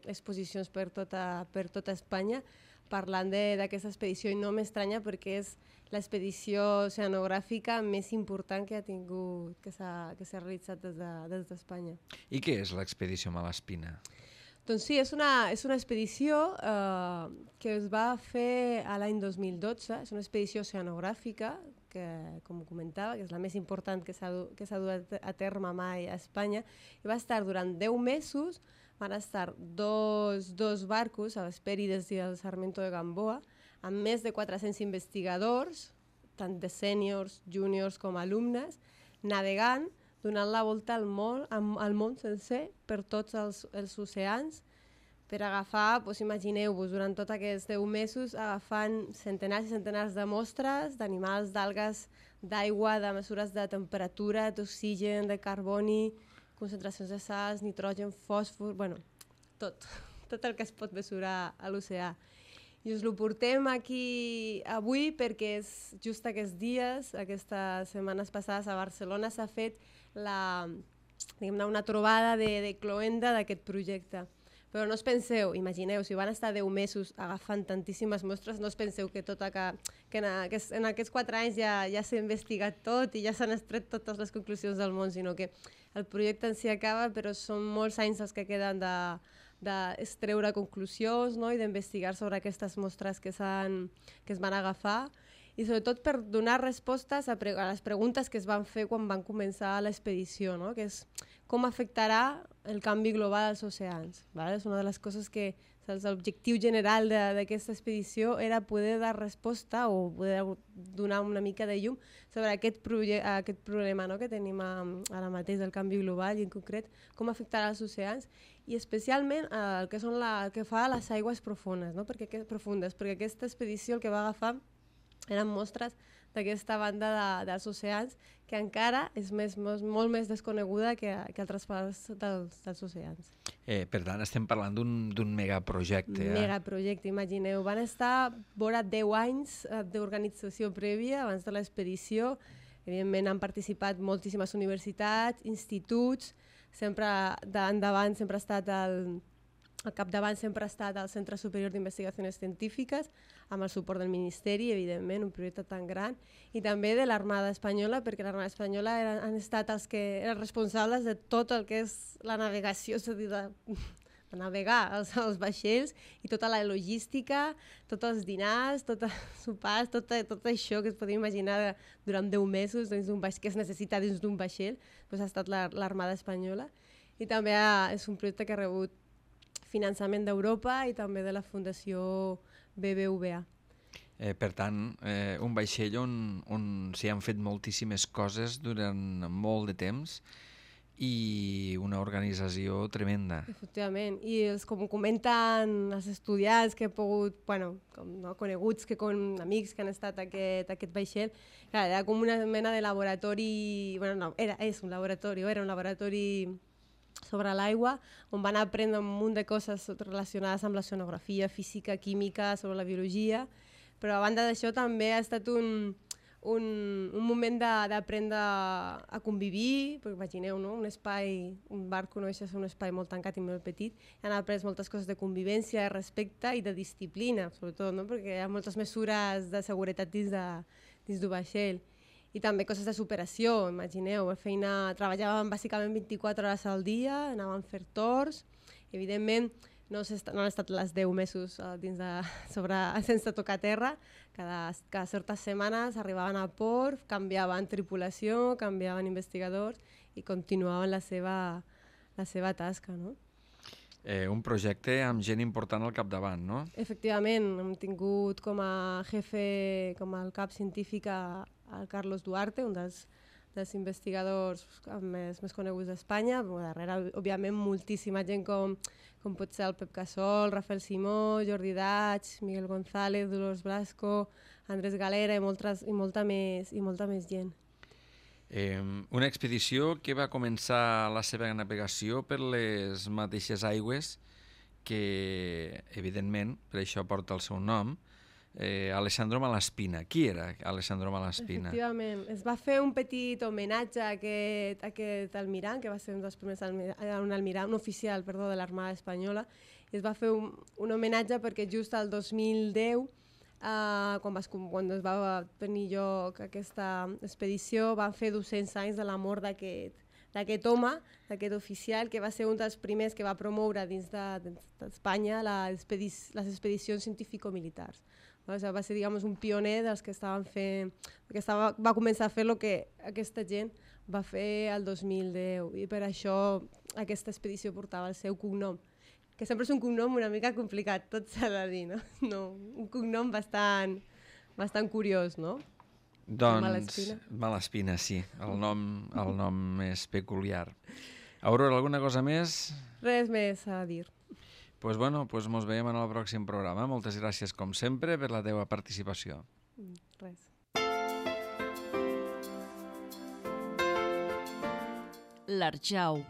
exposicions per tota Espanya parlant d'aquesta expedició i no m'estranya perquè és l'expedició oceanogràfica més important que ha tingut, que s'ha realitzat des d'Espanya. I què és l'expedició Malespina? Doncs sí, és una expedició que es va fer a l'any 2012, és una expedició oceanogràfica, que, com comentava, que és la més important que s'ha dut a terme mai a Espanya, i va estar durant 10 mesos, van estar dos barcos, a l'Hesperides i el Sarmiento de Gamboa, amb més de 400 investigadors, tant de sèniors, júniors com alumnes, navegant, donant la volta al món sencer per tots els oceans, per agafar, imagineu-vos, durant tots aquests 10 mesos, agafant centenars i centenars de mostres d'animals, d'algues, d'aigua, de mesures de temperatura, d'oxigen, de carboni, concentracions de sals, nitrogen, fòsfor, bueno, tot el que es pot mesurar a l'oceà. I us ho portem aquí avui perquè és just aquests dies, aquestes setmanes passades a Barcelona s'ha fet una trobada de cloenda d'aquest projecte. Però no us penseu, imagineu, si van estar 10 mesos agafant tantíssimes mostres, no us penseu que en aquests 4 anys ja s'ha investigat tot i ja s'han extret totes les conclusions del món, sinó que el projecte en si acaba, però són molts anys els que queden d'extreure conclusions, no? I d'investigar sobre aquestes mostres que es van agafar i sobretot per donar respostes a les preguntes que es van fer quan van començar l'expedició, no? Que és com afectarà el canvi global als oceans. ¿Vale? És una de les coses que l'objectiu general d'aquesta expedició era poder dar resposta o poder donar una mica de llum sobre aquest problema, no? Que tenim ara mateix del canvi global i en concret com afectarà els oceans i especialment el que fa a les aigües profundes, no? Perquè aquesta expedició el que va agafar eren mostres d'aquesta banda dels oceans que encara és molt més desconeguda que altres parts dels oceans. Per tant, estem parlant d'un megaprojecte. Megaprojecte, imagineu. Van estar vora 10 anys d'organització prèvia abans de l'expedició. Evidentment han participat moltíssimes universitats, instituts, sempre endavant sempre ha estat al capdavant sempre ha estat el Centre Superior d'Investigacions Científiques, amb el suport del Ministeri, evidentment, un projecte tan gran, i també de l'Armada Espanyola, perquè l'Armada Espanyola han estat els que eren responsables de tot el que és la navegació, és a dir, de navegar els vaixells i tota la logística, tots els dinars, tots els sopars, tot això que es podria imaginar durant 10 mesos que es necessita dins d'un vaixell, doncs ha estat l'Armada Espanyola. I també és un projecte que ha rebut finançament d'Europa i també de la Fundació BBVA. Per tant, un vaixell on s'hi han fet moltíssimes coses durant molt de temps i una organització tremenda. Efectivament, i com comenten els estudiants que he pogut, coneguts, amics que han estat a aquest vaixell, era com una mena de laboratori, era un laboratori sobre l'aigua, on van aprendre un munt de coses relacionades amb l'oceanografia, física, química, sobre la biologia, però a banda d'això també ha estat un moment d'aprendre a convivir, perquè imagineu, no? Un barco no deixa de ser un espai molt tancat i molt petit, i han après moltes coses de convivència, de respecte i de disciplina, sobretot, no? Perquè hi ha moltes mesures de seguretat dins del vaixell. I també coses de superació, imagineu, treballàvem bàsicament 24 hores al dia, anàvem a fer torns, evidentment no han estat les 10 mesos sense tocar terra, cada certes setmanes arribaven a port, canviaven tripulació, canviaven investigadors i continuaven la seva tasca, no? Un projecte amb gent important al capdavant, no? Efectivament, hem tingut com a jefe, com el cap científic el Carlos Duarte, un dels investigadors més coneguts d'Espanya. Darrere, òbviament, moltíssima gent com pot ser el Pep Casol, Rafael Simó, Jordi Daig, Miguel González, Dolors Blasco, Andrés Galera i molta més gent. Una expedició que va començar la seva navegació per les mateixes aigües que, evidentment, per això porta el seu nom, Alessandro Malaspina. Qui era Alessandro Malaspina? Efectivament, es va fer un petit homenatge a aquest almirant, que va ser un dels primers un oficial de l'Armada Espanyola, i es va fer un homenatge perquè just el 2010, quan es va tenir lloc aquesta expedició, van fer 200 anys de la mort d'aquest home, d'aquest oficial, que va ser un dels primers que va promoure dins d'Espanya les expedicions científico-militars. Va ser, un pioner dels que estaven fent, va començar a fer el que aquesta gent va fer el 2010, i per això aquesta expedició portava el seu cognom, que sempre és un cognom una mica complicat, tot s'ha de dir, no? Un cognom bastant curiós, no? Doncs Malaspina, sí, el nom és peculiar. Aurora, alguna cosa més? Res més a dir. Doncs mos veiem en el pròxim programa. Moltes gràcies, com sempre, per la teva participació. Res. L'Arjau,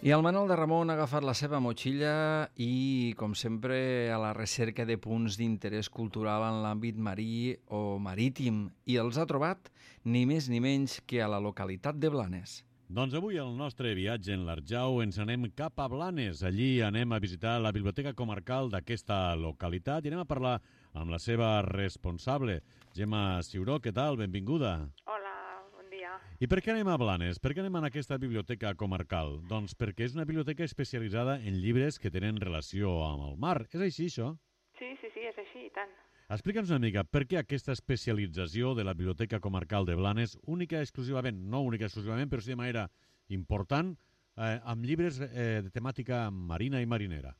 I el Manol de Ramon ha agafat la seva motxilla i, com sempre, a la recerca de punts d'interès cultural en l'àmbit marí o marítim, i els ha trobat ni més ni menys que a la localitat de Blanes. Doncs avui el nostre viatge en l'Arjau ens anem cap a Blanes. Allí anem a visitar la biblioteca comarcal d'aquesta localitat i anem a parlar amb la seva responsable, Gemma Ciuró. Què tal? Benvinguda. Hola, bon dia. I per què anem a Blanes? Per què anem a aquesta biblioteca comarcal? Doncs perquè és una biblioteca especialitzada en llibres que tenen relació amb el mar. És així, això? Sí, és així, i tant. Explica'ns una mica per què aquesta especialització de la Biblioteca Comarcal de Blanes, única exclusivament, no única exclusivament, però sí de manera important, amb llibres de temàtica marina i marinera.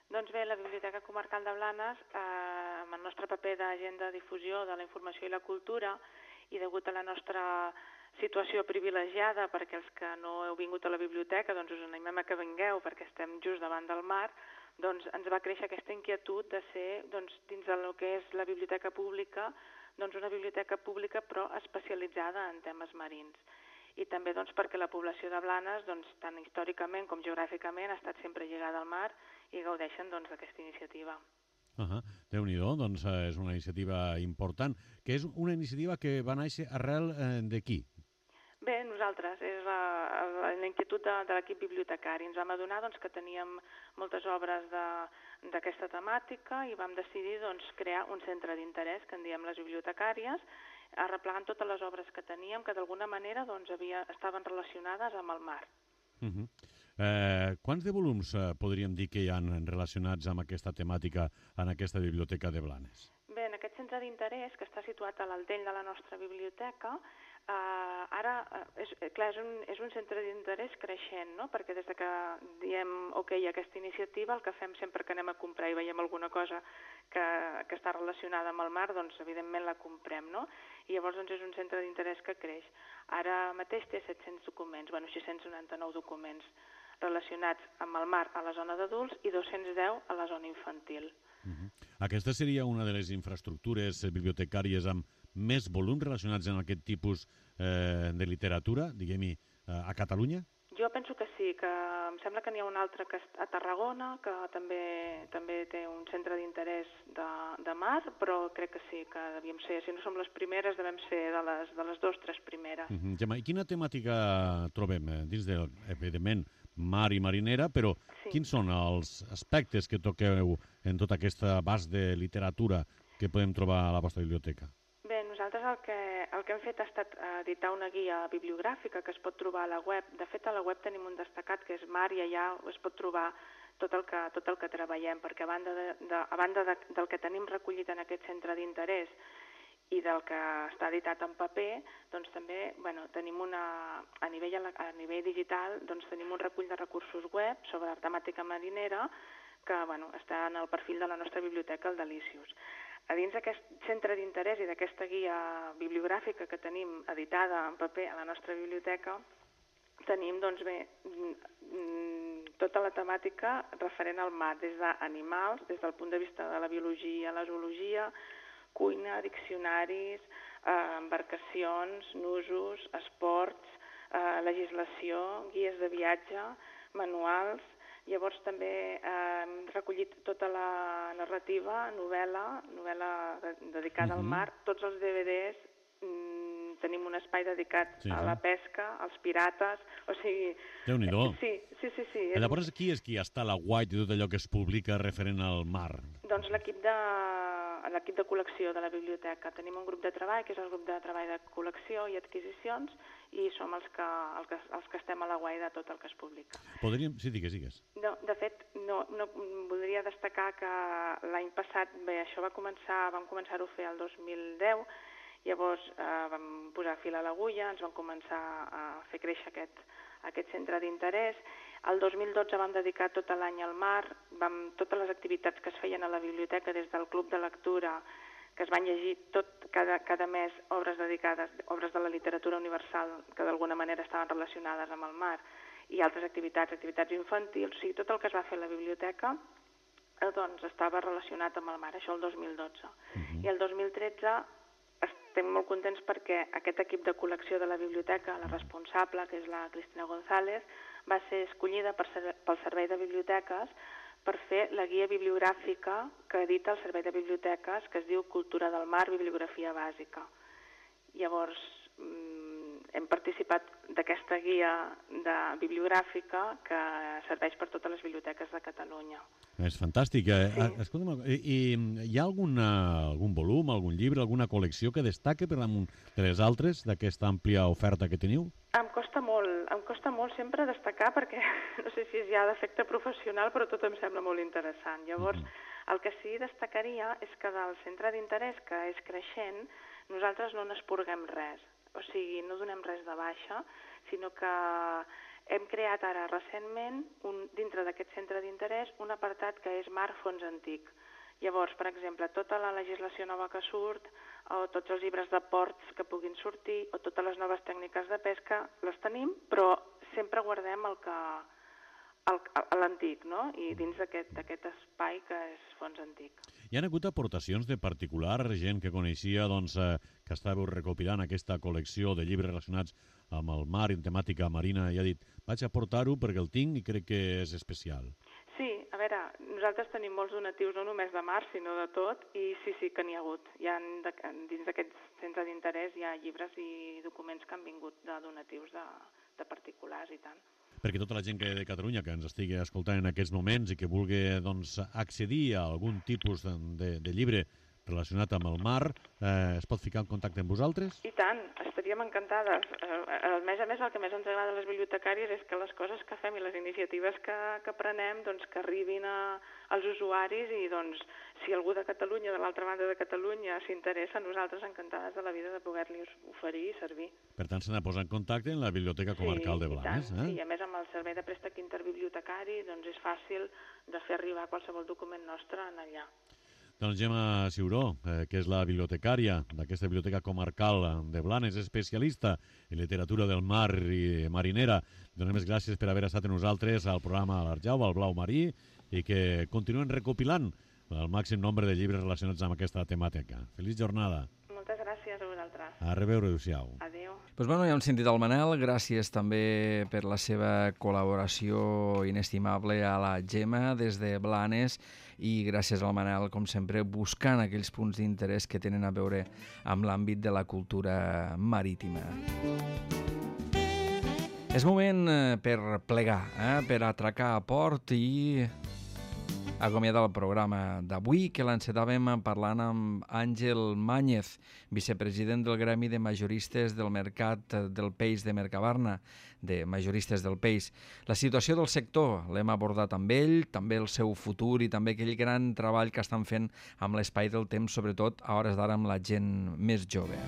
Doncs bé, la Biblioteca Comarcal de Blanes, amb el nostre paper d'agenda de difusió de la informació i la cultura, i degut a la nostra situació privilegiada, perquè els que no heu vingut a la biblioteca, doncs us animem a que vingueu, perquè estem just davant del mar, doncs ens va créixer aquesta inquietud de ser, doncs, dins del que és la biblioteca pública, doncs una biblioteca pública però especialitzada en temes marins. I també doncs, perquè la població de Blanes, doncs, tant històricament com geogràficament, ha estat sempre lligada al mar i gaudeixen doncs, d'aquesta iniciativa. Déu-n'hi-do, doncs és una iniciativa important, que és una iniciativa que va néixer arrel de qui? Bé, nosaltres, és la inquietud de l'equip bibliotecari. Ens vam adonar doncs, que teníem moltes obres d'aquesta temàtica i vam decidir doncs, crear un centre d'interès, que en diem les bibliotecàries, arreplegant totes les obres que teníem, que d'alguna manera doncs, estaven relacionades amb el mar. Quants de volums podríem dir que hi ha relacionats amb aquesta temàtica en aquesta biblioteca de Blanes? Bé, en aquest centre d'interès, que està situat a l'Altell de la nostra biblioteca, ara, clar, és un centre d'interès creixent, no? Perquè des que diem ok a aquesta iniciativa, el que fem sempre que anem a comprar i veiem alguna cosa que està relacionada amb el mar, doncs evidentment la comprem, no? I llavors doncs, és un centre d'interès que creix. Ara mateix té 700 documents, 699 documents relacionats amb el mar a la zona d'adults i 210 a la zona infantil. Aquesta seria una de les infraestructures bibliotecàries amb més volums relacionats amb aquest tipus de literatura, diguem-hi, a Catalunya? Jo penso que sí, que em sembla que n'hi ha un altre que a Tarragona, que també té un centre d'interès de mar, però crec que sí, que devíem ser, si no som les primeres, devem ser de les 2 o 3 primeres. Gemma, i quina temàtica trobem dins del, evidentment, mar i marinera, però quins són els aspectes que toqueu en tot aquest abast de literatura que podem trobar a la vostra biblioteca? Bé, nosaltres el que hem fet ha estat editar una guia bibliogràfica que es pot trobar a la web. De fet, a la web tenim un destacat que és mar i allà es pot trobar tot el que treballem, perquè a banda del que tenim recollit en aquest centre d'interès i del que està editat en paper, doncs també tenim a nivell digital doncs tenim un recull de recursos web sobre temàtica marinera que està en el perfil de la nostra biblioteca, el Delicious. A dins d'aquest centre d'interès i d'aquesta guia bibliogràfica que tenim editada en paper a la nostra biblioteca, tenim doncs bé tota la temàtica referent al mar, des d'animals, des del punt de vista de la biologia, la zoologia, cuina, diccionaris, embarcacions, nusos, esports, legislació, guies de viatge, manuals. Llavors també hem recollit tota la narrativa, novel·la dedicada al mar, tots els DVDs, tenim un espai dedicat a la pesca, als pirates, o sigui... Déu-n'hi-do. Sí. Llavors, qui és qui està a la guait de tot allò que es publica referent al mar? Doncs l'equip de col·lecció de la biblioteca. Tenim un grup de treball, que és el grup de treball de col·lecció i adquisicions, i som els que estem a la guai de tot el que es publica. Podríem... Sí, digues. No, de fet, no voldria destacar que l'any passat, bé, això vam començar-ho a fer el 2010, llavors vam posar fil a l'agulla, ens vam començar a fer créixer aquest centre d'interès. El 2012 vam dedicar tot l'any al mar, totes les activitats que es feien a la biblioteca des del club de lectura, que es van llegir cada mes obres dedicades, obres de la literatura universal que d'alguna manera estaven relacionades amb el mar, i altres activitats infantils, o sigui, tot el que es va fer a la biblioteca doncs estava relacionat amb el mar, això el 2012. I el 2013 estem molt contents perquè aquest equip de col·lecció de la biblioteca, la responsable, que és la Cristina González, va ser escollida pel Servei de Biblioteques per fer la guia bibliogràfica que edita el Servei de Biblioteques, que es diu Cultura del Mar, Bibliografia Bàsica. Llavors, hem participat d'aquesta guia bibliogràfica que serveix per totes les biblioteques de Catalunya. És fantàstic. Escolta'm, hi ha algun volum, algun llibre, alguna col·lecció que destaque per damunt de les altres d'aquesta àmplia oferta que teniu? Em costa molt sempre destacar perquè no sé si és ja d'efecte professional, però tot em sembla molt interessant. Llavors, el que sí destacaria és que del centre d'interès, que és creixent, nosaltres no n'esporguem res. O sigui, no donem res de baixa, sinó que hem creat ara recentment, dintre d'aquest centre d'interès, un apartat que és Mar Fons Antic. Llavors, per exemple, tota la legislació nova que surt, o tots els llibres de ports que puguin sortir, o totes les noves tècniques de pesca, les tenim, però sempre guardem l'antic, no? I dins d'aquest espai que és Fons Antic. Hi ha hagut aportacions de particular, gent que coneixia, que estàveu recopilant aquesta col·lecció de llibres relacionats amb el mar i temàtica marina i ha dit, vaig aportar-ho perquè el tinc i crec que és especial. Sí, a veure, nosaltres tenim molts donatius, no només de mar, sinó de tot, i sí que n'hi ha hagut. Dins d'aquest centre d'interès hi ha llibres i documents que han vingut de donatius de particulars i tant. Perquè tota la gent de Catalunya que ens estigui escoltant en aquests moments i que vulgui accedir a algun tipus de llibre relacionat amb el mar, es pot ficar en contacte amb vosaltres? I tant, estaríem encantades. A més a més, el que més ens agrada a les bibliotecàries és que les coses que fem i les iniciatives que prenem que arribin als usuaris i si algú de Catalunya, de l'altra banda de Catalunya, s'interessa, nosaltres encantades de la vida de poder-li oferir i servir. Per tant, s'ha de posar en contacte en la Biblioteca Comarcal de Blanes. Sí, a més amb el servei de préstec interbibliotecari és fàcil de fer arribar qualsevol document nostre allà. Doncs Gemma Ciuró, que és la bibliotecària d'aquesta Biblioteca Comarcal de Blanes, especialista en literatura del mar i marinera. Donem les gràcies per haver estat amb nosaltres al programa L'Arjau, al Blau Marí, i que continuen recopilant el màxim nombre de llibres relacionats amb aquesta temàtica. Feliç jornada. Moltes gràcies a vosaltres. A reveure, adéu-siau. Adéu. Doncs bueno, ja hem sentit el Manel, gràcies també per la seva col·laboració inestimable a la Gemma des de Blanes i gràcies al Manel, com sempre, buscant aquells punts d'interès que tenen a veure amb l'àmbit de la cultura marítima. És moment per plegar, per atracar a port i acomiadar el programa d'avui, que l'encetàvem parlant amb Àngel Màñez, vicepresident del Gremi de Majoristes del Mercat del Peix de Mercabarna, de Majoristes del Peix. La situació del sector l'hem abordat amb ell, també el seu futur i també aquell gran treball que estan fent amb l'espai del temps, sobretot a hores d'ara amb la gent més jove.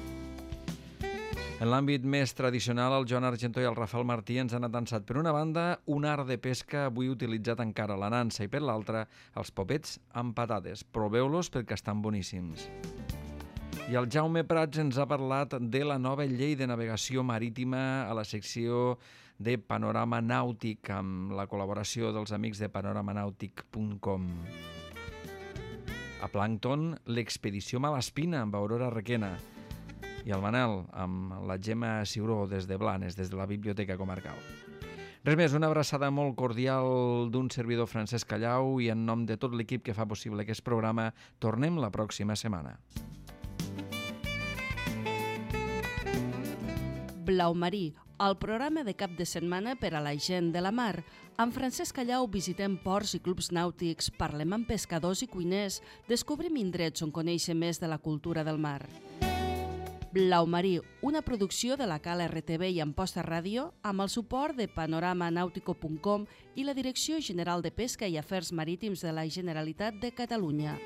En l'àmbit més tradicional, el Joan Argentó i el Rafael Martí ens han atansat per una banda un art de pesca avui utilitzat encara a la nansa i per l'altra els popets amb patates. Proveu-los perquè estan boníssims. I el Jaume Prats ens ha parlat de la nova llei de navegació marítima a la secció de Panorama Nàutic amb la col·laboració dels amics de panoramanàutic.com. A Plàncton, l'expedició Malaspina amb Aurora Requena. I el Manel, amb la Gemma Ciuró des de Blanes, des de la Biblioteca Comarcal. Res més, una abraçada molt cordial d'un servidor Francesc Callau i en nom de tot l'equip que fa possible aquest programa, tornem la pròxima setmana. Blau Marí, el programa de cap de setmana per a la gent de la mar. Amb Francesc Callau visitem ports i clubs nàutics, parlem amb pescadors i cuiners, descobrim indrets on conèixer més de la cultura del mar. Blau Marí, una producció de la Cal RTV i Amposta Ràdio amb el suport de panoramanàutico.com i la Direcció General de Pesca i Afers Marítims de la Generalitat de Catalunya.